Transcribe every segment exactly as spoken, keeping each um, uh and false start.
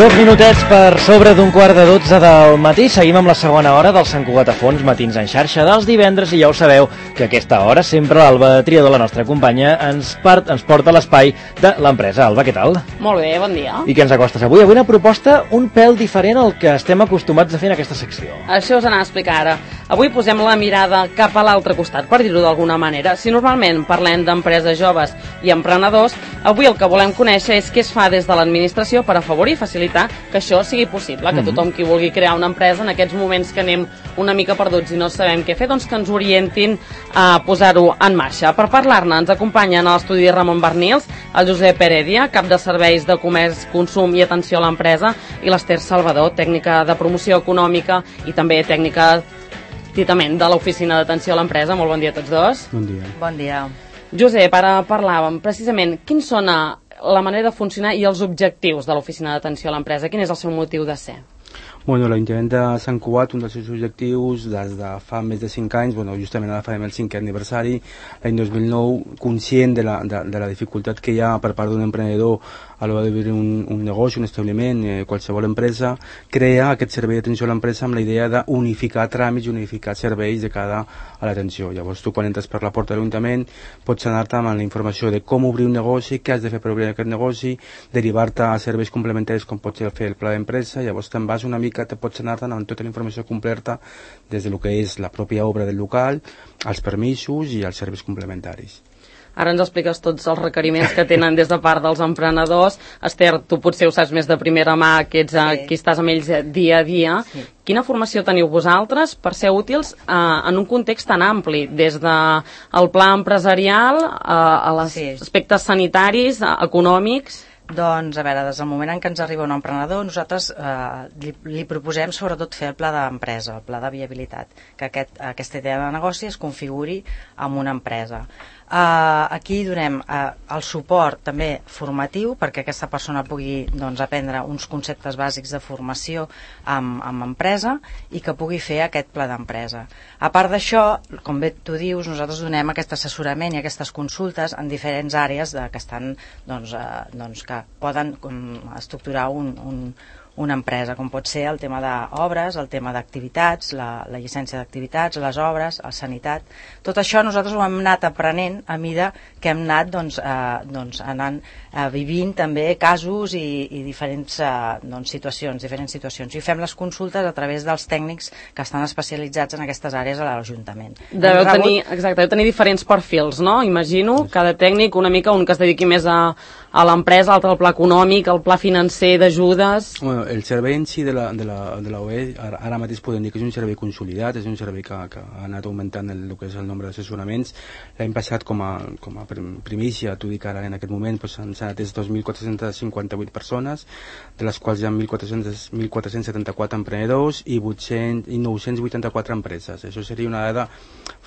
Dos minutets per sobre d'un quart de dotze del matí. Seguim amb la segona hora del Sant Cugat a Fons, matins en xarxa dels divendres, i ja ho sabeu que a aquesta hora sempre l'Alba Triador, la nostra companya, ens, part, ens porta a l'espai de l'empresa. Alba, què tal? Molt bé, bon dia. I què ens acostes avui? Avui una proposta un pèl diferent al que estem acostumats a fer en aquesta secció. Això us anava a explicar ara. Avui posem la mirada cap a l'altre costat, per dir-ho d'alguna manera. Si normalment parlem d'empreses joves i emprenedors, avui el que volem conèixer és què es fa des de l'administració per afavorir i facilitar que això sigui possible, que tothom qui vulgui crear una empresa en aquests moments que anem una mica perduts i no sabem què fer, doncs que ens orientin a posar-ho en marxa. Per parlar-ne ens acompanyen a l'estudi Ramon Barnils, el Josep Heredia, cap de serveis de comerç, consum i atenció a l'empresa, i l'Ester Salvador, tècnica de promoció econòmica i també tècnica titament de l'oficina d'atenció a l'empresa. Molt bon dia a tots dos. Bon dia. Bon dia. Josep, ara parlàvem precisament quins són la manera de funcionar i els objectius de l'oficina d'atenció a l'empresa. Quin és el seu motiu de ser? Bueno, l'Ajuntament de Sant Cugat, un dels seus objectius des de fa més de cinc anys, bueno, justament ara farem el cinquè aniversari, l'any dos mil nou, conscient de la, de, de la dificultat que hi ha per part d'un emprenedor a l'hora d'obrir un, un negoci, un establiment, eh, qualsevol empresa, crea aquest servei d'atenció a l'empresa amb la idea d'unificar tràmits, unificar serveis de cara a l'atenció. Llavors tu quan entres per la porta de l'Ajuntament pots anar-te amb la informació de com obrir un negoci, què has de fer per obrir aquest negoci, derivar-te a serveis complementaris com pot ser fer el pla d'empresa. Llavors te'n vas una mica, te pots anar-te amb tota la informació completa des del que és la pròpia obra del local, els permisos i els serveis complementaris. Ara ens expliques tots els requeriments que tenen des de part dels emprenedors. Esther, tu potser ho saps més de primera mà, que ets sí. qui estàs amb ells dia a dia. Sí. Quina formació teniu vosaltres per ser útils eh, en un context tan ampli, des del pla empresarial eh, a els sí. aspectes sanitaris, eh, econòmics? Doncs, a veure, des del moment en què ens arriba un emprenedor, nosaltres eh, li, li proposem sobretot fer el pla d'empresa, el pla de viabilitat, que aquest, aquesta idea de negoci es configuri amb una empresa. Uh, aquí donem uh, el suport també formatiu perquè aquesta persona pugui doncs, aprendre uns conceptes bàsics de formació amb, amb empresa i que pugui fer aquest pla d'empresa. A part d'això, com bé tu dius, nosaltres donem aquest assessorament i aquestes consultes en diferents àrees de, que estan doncs, uh, doncs, que poden um, estructurar un, un una empresa, com pot ser el tema d'obres, el tema d'activitats, la, la llicència d'activitats, les obres, la sanitat. Tot això nosaltres ho hem anat aprenent a mida que hem anat doncs, eh, doncs, anant eh, vivint també casos i, i diferents eh, doncs, situacions, diferents situacions. I fem les consultes a través dels tècnics que estan especialitzats en aquestes àrees a l'Ajuntament. Deveu tenir, exacte, deveu tenir diferents perfils, no? Imagino, cada tècnic una mica, un que es dediqui més a, a l'empresa, l'altre al pla econòmic, al pla financer d'ajudes. Bueno, el servei en si de la, de la, de la O E ara, ara mateix podem dir que és un servei consolidat, és un servei que, que ha anat augmentant el, el que és el nombre d'assessoraments. L'any passat, com a, com a primícia, t'ho dic ara en aquest moment, doncs, han estat dos mil quatre-cents cinquanta-vuit persones, de les quals hi ha mil quatre-cents setanta-quatre emprenedors i, vuit-cents, i nou-cents vuitanta-quatre empreses. Això seria una dada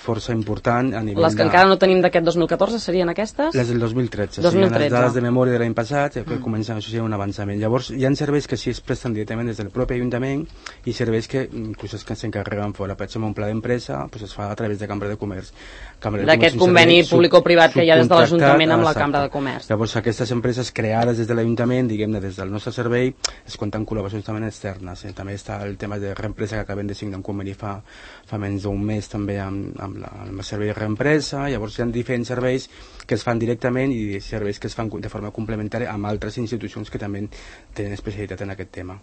força important a nivell Les que de... encara no tenim d'aquest dos mil catorze serien aquestes? Les del dos mil tretze. dos mil tretze. Les dades de memòria de l'any passat, que mm. comencen, això seria un avançament. Llavors, hi ha serveis que sí es presten directament des del propi Ajuntament i serveis que inclús es que s'encarreguen fora. Per exemple, un pla d'empresa pues, es fa a través de Cambra de Comerç. D'aquest conveni público-privat que hi ha des de l'Ajuntament amb la Cambra de Comerç. Llavors, aquestes empreses creades des de l'Ajuntament, diguem-ne, des del nostre servei, es compten col·laboracions també externes. Eh? També està el tema de reempresa que acabem de signar un conveni fa, fa menys d'un mes també amb, amb, la, amb el servei de reempresa. Llavors, hi ha diferents serveis que es fan directament i serveis que es fan de forma complementària amb altres institucions que també tenen especialitat en aquest tema.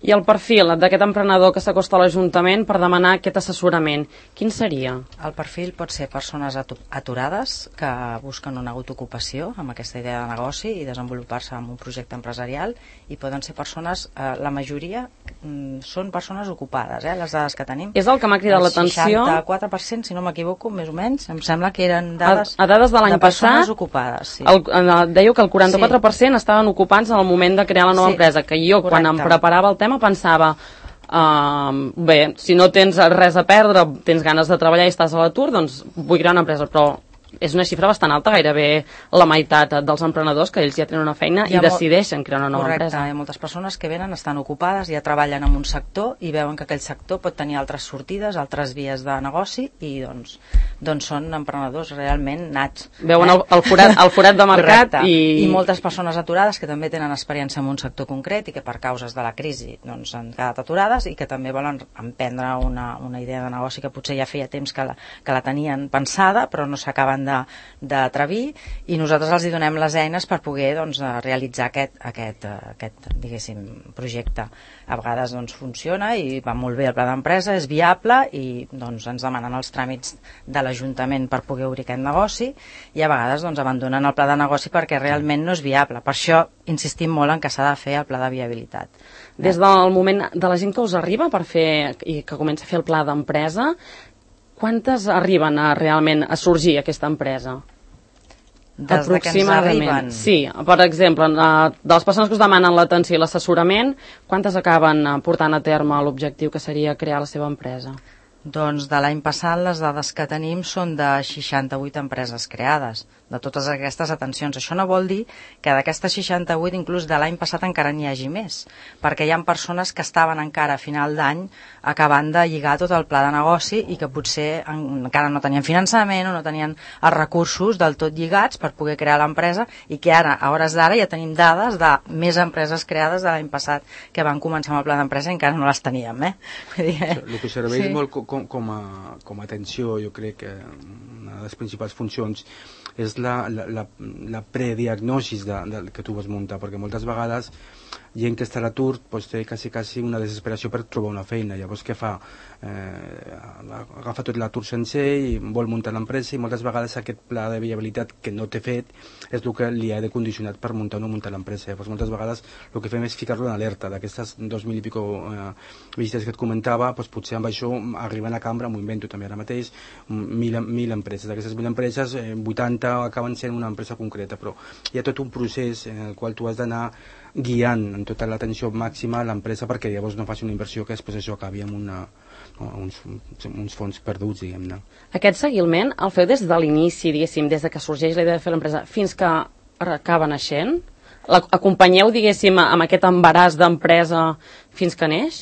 I el perfil d'aquest emprenedor que s'acosta a l'Ajuntament per demanar aquest assessorament, quin seria? El perfil pot ser persones aturades que busquen una autoocupació amb aquesta idea de negoci i desenvolupar-se en un projecte empresarial, i poden ser persones, eh, la majoria mm, són persones ocupades, eh, les dades que tenim. És el que m'ha cridat l'atenció. El seixanta-quatre per cent, si no m'equivoco, més o menys, em sembla que eren dades, a, a dades de l'any de persones passat, ocupades. Sí. El, dèieu que el quaranta-quatre per cent sí. estaven ocupats en el moment de crear la nova sí. empresa, que jo, correcte, quan em preparava el tema, pensava uh, bé, si no tens res a perdre, tens ganes de treballar i estàs a l'atur, doncs vull crear una empresa, però és una xifra bastant alta, gairebé la meitat dels emprenedors que ells ja tenen una feina i decideixen crear una nova correcte, empresa. Hi ha moltes persones que venen, estan ocupades, ja treballen en un sector i veuen que aquell sector pot tenir altres sortides, altres vies de negoci, i doncs doncs són emprenedors realment nats. Veuen eh? el, el, forat, el forat de mercat i... I moltes persones aturades que també tenen experiència en un sector concret i que per causes de la crisi doncs, han quedat aturades i que també volen emprendre una, una idea de negoci que potser ja feia temps que la, que la tenien pensada però no s'acaben d'atrevir, i nosaltres els hi donem les eines per poder doncs, realitzar aquest, aquest, aquest diguéssim, projecte. A vegades doncs, funciona i va molt bé el pla d'empresa, és viable i doncs, ens demanen els tràmits de l'Ajuntament per poder obrir aquest negoci, i a vegades doncs, abandonen el pla de negoci perquè realment no és viable. Per això insistim molt en que s'ha de fer el pla de viabilitat. Des del moment de la gent que us arriba per fer i que comença a fer el pla d'empresa, quantes arriben a, realment a sorgir aquesta empresa? Des de que ens arriben? Sí, per exemple, de les persones que us demanen l'atenció i l'assessorament, quantes acaben portant a terme l'objectiu que seria crear la seva empresa? Doncs de l'any passat les dades que tenim són de seixanta-vuit empreses creades, de totes aquestes atencions. Això no vol dir que d'aquestes seixanta-vuit inclús de l'any passat encara n'hi hagi més, perquè hi ha persones que estaven encara a final d'any acabant de lligar tot el pla de negoci i que potser encara no tenien finançament o no tenien els recursos del tot lligats per poder crear l'empresa, i que ara, a hores d'ara, ja tenim dades de més empreses creades de l'any passat que van començar amb el pla d'empresa i encara no les teníem. Eh? El que serveix sí. molt com, com, a, com a atenció, jo crec que una de les principals funcions és la, la, la, la prediagnosi de, de, que tu vas muntar, perquè moltes vegades gent que està a l'atur pues, té quasi, quasi una desesperació per trobar una feina. Llavors què fa? Eh, agafa tot l'atur sencer i vol muntar l'empresa, i moltes vegades aquest pla de viabilitat que no té fet és el que li ha de condicionat per muntar o no muntar l'empresa. Llavors moltes vegades el que fem és ficar-lo en alerta d'aquestes dos mil i pico eh, visites que et comentava, pues, potser amb això arriben a cambra, m'ho invento també ara mateix, mil, mil empreses. D'aquestes mil empreses, eh, vuitanta acaben sent una empresa concreta, però hi ha tot un procés en el qual tu has d'anar guiant en tota l'atenció màxima a l'empresa perquè llavors no faci una inversió que després això acabi amb una, uns, uns fons perduts, diguem-ne. Aquest seguiment el feu des de l'inici, diguéssim, des de que sorgeix la idea de fer l'empresa fins que acaba naixent? Acompanyeu, diguéssim, amb aquest embaràs d'empresa fins que neix?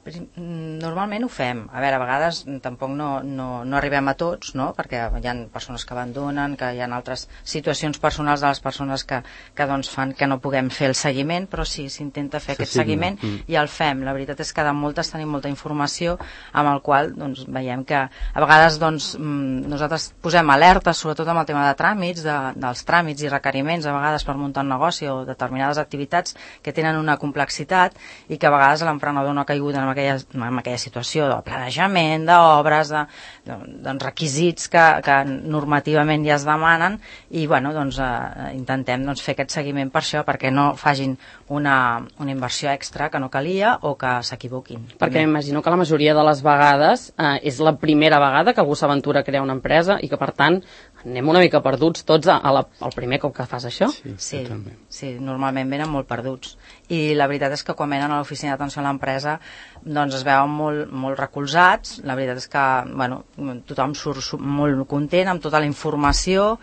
Normalment ho fem. A veure, a vegades tampoc no, no, no arribem a tots, no? Perquè hi ha persones que abandonen, que hi ha altres situacions personals de les persones que, que doncs fan que no puguem fer el seguiment, però sí, s'intenta fer aquest seguiment mm. i el fem. La veritat és que de moltes tenim molta informació amb el qual doncs, veiem que a vegades doncs, nosaltres posem alertes, sobretot amb el tema de tràmits, de, dels tràmits i requeriments, a vegades per muntar un negoci o determinades activitats que tenen una complexitat i que a vegades l'emprenedor no ha caigut en aquella, en aquella situació de planejament, d'obres, de, de, doncs requisits que, que normativament ja es demanen, i bueno, doncs, eh, intentem doncs, fer aquest seguiment per això, perquè no facin una, una inversió extra que no calia o que s'equivoquin. Perquè m'imagino que la majoria de les vegades eh, és la primera vegada que algú s'aventura a crear una empresa i que per tant anem una mica perduts tots a, a la, al primer cop que fas això. Sí, sí, sí, normalment venen molt perduts, i la veritat és que quan venen a l'oficina d'atenció a l'empresa doncs es veuen molt, molt recolzats. La veritat és que bueno, tothom surt molt content amb tota la informació,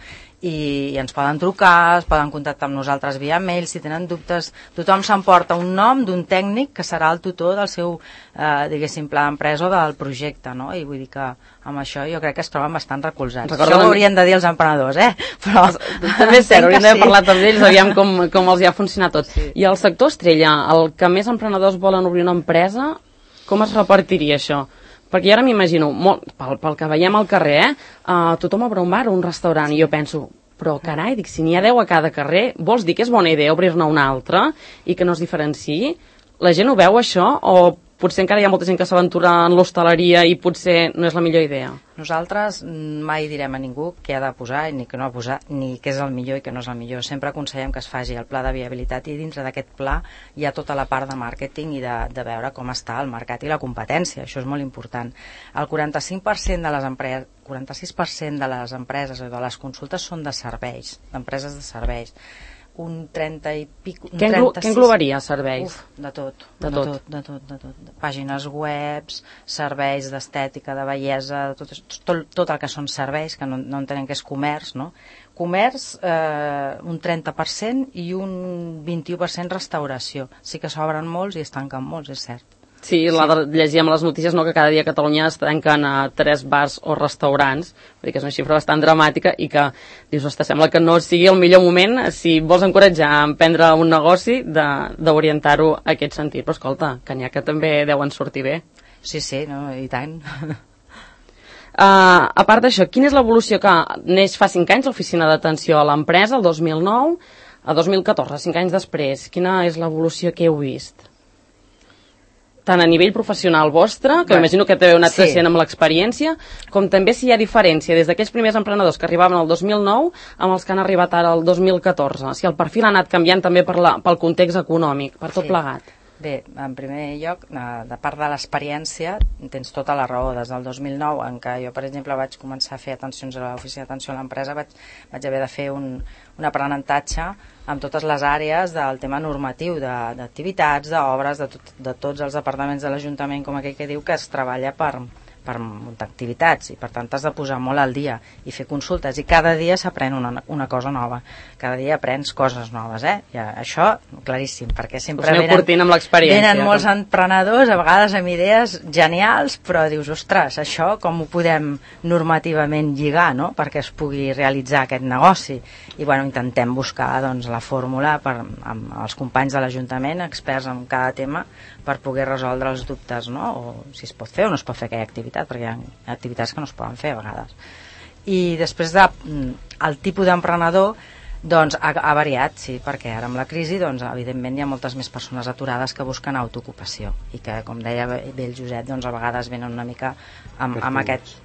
i, i ens poden trucar, es poden contactar amb nosaltres via mail si tenen dubtes. Tothom s'emporta un nom d'un tècnic que serà el tutor del seu eh, diguéssim pla d'empresa o del projecte, no? I vull dir que amb això jo crec que es troben bastant recolzats. Recordo això ho haurien de dir els emprenedors, eh? Però també és cert, hauríem d'haver parlat amb ells, aviam com, com els hi ha funcionat tot. Sí. I el sector estrella, el que més emprenedors volen obrir una empresa, com es repartiria això? Perquè ara m'imagino, pel, pel que veiem al carrer, eh, uh, tothom obre un bar o un restaurant, i jo penso, però carai, dic, si n'hi ha deu a cada carrer, vols dir que és bona idea obrir-ne una altra i que no es diferenciï? La gent ho veu, això, o potser encara hi ha molta gent que s'aventura en l'hostaleria i potser no és la millor idea? Nosaltres mai direm a ningú què ha de posar ni què no ha de posar, ni què és el millor i què no és el millor. Sempre aconsellem que es faci el pla de viabilitat, i dintre d'aquest pla hi ha tota la part de màrqueting i de, de veure com està el mercat i la competència. Això és molt important. El quaranta-cinc per cent de les empreses, quaranta-sis per cent de les empreses o de les consultes són de serveis, d'empreses de serveis. Un trenta i pic... Un què, englo què englobaria serveis? Uf, de tot, de, de, tot. tot, de tot, de tot. Pàgines webs, serveis d'estètica, de bellesa, tot, tot, tot el que són serveis, que no, no entenem que és comerç, no? Comerç, eh, un trenta per cent, i un vint-i-u per cent restauració. Sí que s'obren molts i es tanquen molts, és cert. Sí, la de, llegíem les notícies, no, que cada dia a Catalunya es tanquen a tres bars o restaurants, vull dir que és una xifra bastant dramàtica i que, dius, ostres, sembla que no sigui el millor moment, si vols encoratjar a emprendre un negoci, d'orientar-ho a aquest sentit. Però escolta, que n'hi ha que també deuen sortir bé. Sí, sí, no, i tant. Uh, a part d'això, quina és l'evolució que neix fa cinc anys l'oficina d'atenció a l'empresa, el dos mil nou, a dos mil catorze, cinc anys després? Quina és l'evolució que heu vist? Tant a nivell professional vostre, que m'imagino que t'heu anat creixent amb l'experiència, com també si hi ha diferència des d'aquells primers emprenedors que arribaven el dos mil nou amb els que han arribat ara el dos mil catorze. Si el perfil ha anat canviant també per la, pel context econòmic, per tot sí. plegat. Bé, en primer lloc, de part de l'experiència, tens tota la raó. Des del dos mil nou, en què jo, per exemple, vaig començar a fer atencions a l'oficina d'atenció a l'empresa, vaig, vaig haver de fer un, un aprenentatge amb totes les àrees del tema normatiu, d'activitats, d'obres, de, tot, de tots els departaments de l'Ajuntament, com aquell que diu que es treballa per, per muntar activitats, i per tant has de posar molt al dia i fer consultes, i cada dia s'aprèn una, una cosa nova, cada dia aprens coses noves, eh? I això, claríssim, perquè sempre venen, amb venen molts emprenedors, a vegades amb idees genials, però dius, ostres, això com ho podem normativament lligar, no?, perquè es pugui realitzar aquest negoci. I bueno, intentem buscar doncs, la fórmula per, amb els companys de l'Ajuntament, experts en cada tema, per poder resoldre els dubtes, no?, o si es pot fer o no es pot fer aquella activitat, perquè hi ha activitats que no es poden fer a vegades. I després de, el tipus d'emprenedor doncs ha, ha variat, sí, perquè ara amb la crisi doncs, evidentment hi ha moltes més persones aturades que busquen autoocupació i que, com deia bé el Josep, doncs, a vegades venen una mica amb, amb aquest...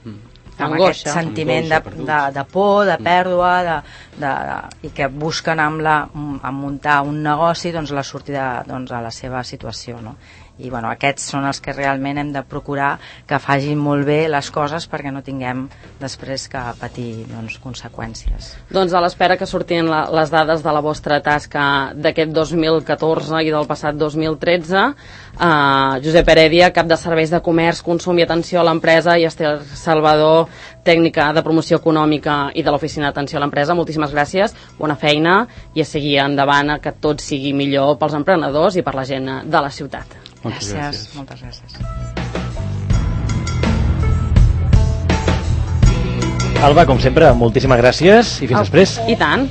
amb aquest sentiment de, de, de por, de pèrdua, de, de, de, i que busquen amb, la, amb muntar un negoci doncs, la sortida doncs, a la seva situació, no? I bueno, aquests són els que realment hem de procurar que facin molt bé les coses perquè no tinguem després que patir doncs, conseqüències. Doncs a l'espera que sortin la, les dades de la vostra tasca d'aquest dos mil catorze i del passat dos mil tretze, uh, Josep Heredia, cap de serveis de comerç, consum i atenció a l'empresa, i Esther Salvador, tècnica de promoció econòmica i de l'oficina d'atenció a l'empresa, moltíssimes gràcies, bona feina i a seguir endavant, que tot sigui millor pels emprenedors i per la gent de la ciutat. Moltes gràcies. gràcies. Moltes gràcies. Alba, com sempre, moltíssimes gràcies i fins Oh, després. I tant.